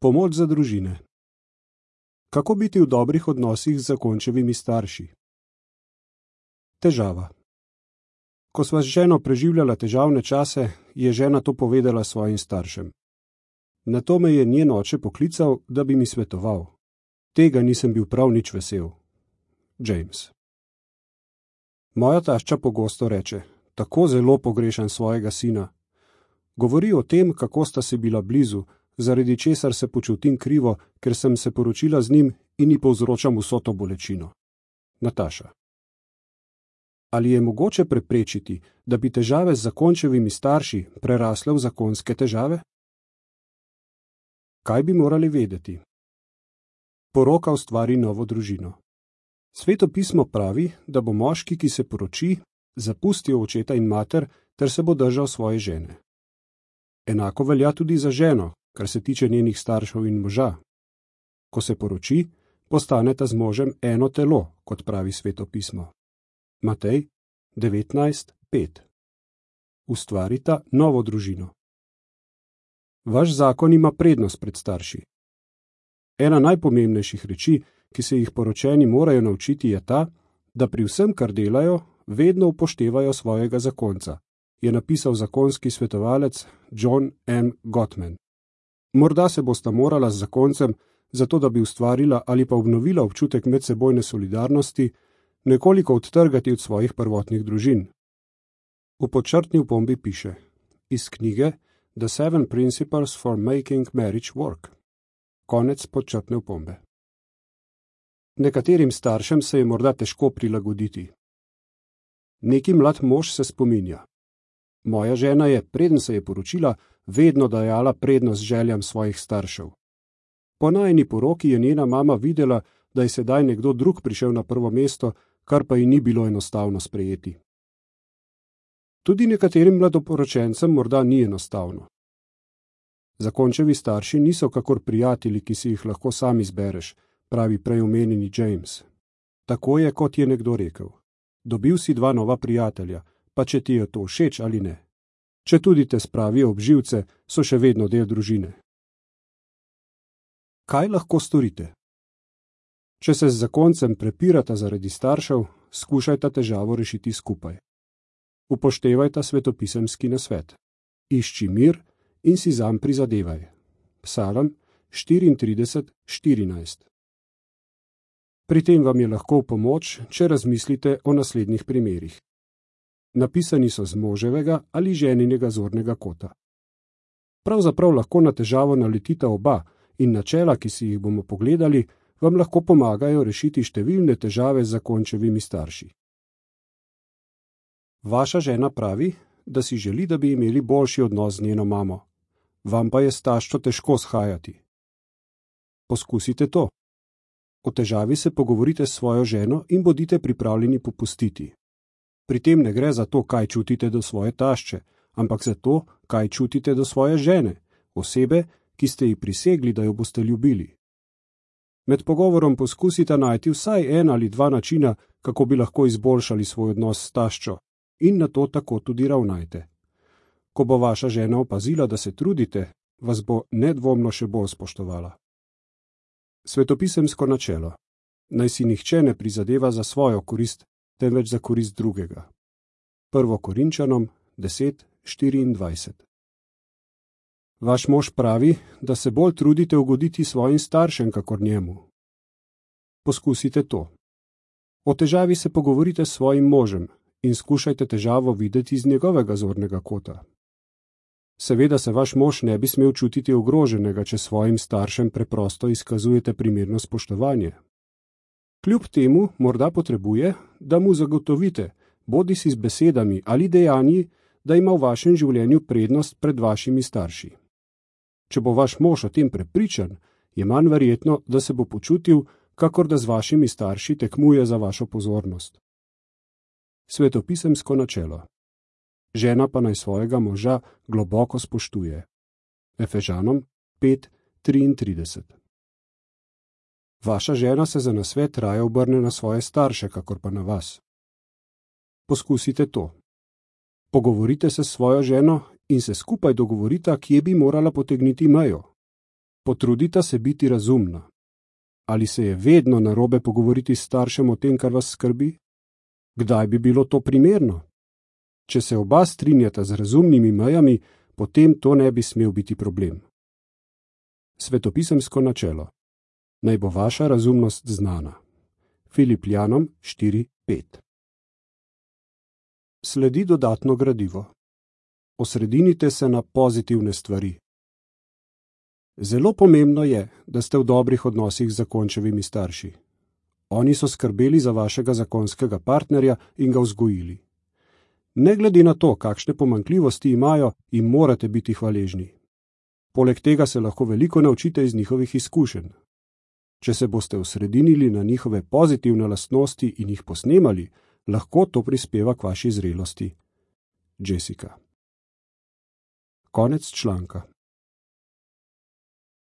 Pomoč za družine. Kako biti v dobrih odnosih z zakončevimi starši? Težava. Ko sva z ženo preživljala težavne čase, je žena to povedala svojim staršem. Nato me je njen oče poklical, da bi mi svetoval. Tega nisem bil prav nič vesel. James. Moja tašča pogosto reče: tako zelo pogrešam svojega sina. Govori o tem, kako sta si bila blizu, zaradi česar se počutim krivo, ker sem se poročila z njim in ji povzročam vso to bolečino. Nataša. Ali je mogoče preprečiti, da bi težave z zakončevimi starši prerasle v zakonske težave? Kaj bi morali vedeti? Poroka ustvari novo družino. Sveto pismo pravi, da bo moški, ki se poroči, zapustil očeta in mater ter se bo držal svoje žene. Enako velja tudi za ženo, kar se tiče njenih staršev in moža. Ko se poroči, postaneta z možem eno telo, kot pravi Sveto pismo. Matej 19:5. Ustvarita novo družino. Vaš zakon ima prednost pred starši. Ena najpomembnejših reči, ki se jih poročeni morajo naučiti, je ta, da pri vsem, kar delajo, vedno upoštevajo svojega zakonca, je napisal zakonski svetovalec John M. Gottman. Morda se bosta morala z zakoncem, zato da bi ustvarila ali pa obnovila občutek medsebojne solidarnosti, nekoliko odtrgati od svojih prvotnih družin. V podčrtni opombi piše: iz knjige The 7 Principles for Making Marriage Work. Konec podčrtne opombe. Nekaterim staršem se je morda težko prilagoditi. Neki mlad mož se spominja: moja žena je, preden se je poročila, vedno dajala prednost željam svojih staršev. Po najini poroki je njena mama videla, da je sedaj nekdo drug prišel na prvo mesto, kar pa ji ni bilo enostavno sprejeti. Tudi nekaterim mladoporočencem morda ni enostavno. Zakončevi starši niso kakor prijatelji, ki si jih lahko sam izbereš, pravi prej omenjeni James. Tako je, kot je nekdo rekel: dobil si 2 nova prijatelja, pa če ti je to všeč ali ne. Če tudi te spravijo ob živce, so še vedno del družine. Kaj lahko storite? Če se z zakoncem prepirata zaradi staršev, skušajta težavo rešiti skupaj. Upoštevajta svetopisemski nasvet. Išči mir in si zanj prizadevaj. Psalm 34:14. Pri tem vam je lahko v pomoč, če razmislite o naslednjih primerih. Napisani so z moževega ali ženinega zornega kota. Pravzaprav lahko na težavo naletita oba in načela, ki si jih bomo pogledali, vam lahko pomagajo rešiti številne težave z zakončevimi starši. Vaša žena pravi, da si želi, da bi imeli boljši odnos z njeno mamo. Vam pa je s taščo težko shajati. Poskusite to. O težavi se pogovorite s svojo ženo in bodite pripravljeni popustiti. Pri tem ne gre za to, kaj čutite do svoje tašče, ampak za to, kaj čutite do svoje žene, osebe, ki ste ji prisegli, da jo boste ljubili. Med pogovorom poskusite najti vsaj 1 ali 2 načina, kako bi lahko izboljšali svoj odnos s taščo, in na to tako tudi ravnajte. Ko bo vaša žena opazila, da se trudite, vas bo nedvomno še bolj spoštovala. Svetopisemsko načelo: naj si nihče ne prizadeva za svojo korist, temveč za korist drugega. 1. Korinčanom 10:24. Vaš mož pravi, da se bolj trudite ugoditi svojim staršem, kakor njemu. Poskusite to. O težavi se pogovorite s svojim možem in skušajte težavo videti z njegovega zornega kota. Seveda se vaš mož ne bi smel čutiti ogroženega, če svojim staršem preprosto izkazujete primerno spoštovanje. Kljub temu morda potrebuje, da mu zagotovite, bodisi z besedami ali dejanji, da ima v vašem življenju prednost pred vašimi starši. Če bo vaš mož o tem prepričan, je manj verjetno, da se bo počutil, kakor da z vašimi starši tekmuje za vašo pozornost. Svetopisemsko načelo: žena pa naj svojega moža globoko spoštuje. Efežanom 5:33. Vaša žena se za nasvet raje obrne na svoje starše, kakor pa na vas. Poskusite to. Pogovorite se s svojo ženo in se skupaj dogovorita, kje bi morala potegniti mejo. Potrudita se biti razumna. Ali se je vedno narobe pogovoriti s staršem o tem, kar vas skrbi? Kdaj bi bilo to primerno? Če se oba strinjata z razumnimi mejami, potem to ne bi smel biti problem. Svetopisemsko načelo. Naj bo vaša razumnost znana. Filipljanom 4:5. Sledi dodatno gradivo. Osredinite se na pozitivne stvari. Zelo pomembno je, da ste v dobrih odnosih z zakončevimi starši. Oni so skrbeli za vašega zakonskega partnerja in ga vzgojili. Ne glede na to, kakšne pomanjkljivosti imajo, jim morate biti hvaležni. Poleg tega se lahko veliko naučite iz njihovih izkušenj. Če se boste osredinili na njihove pozitivne lastnosti in jih posnemali, lahko to prispeva k vaši zrelosti. Jessica. Konec članka.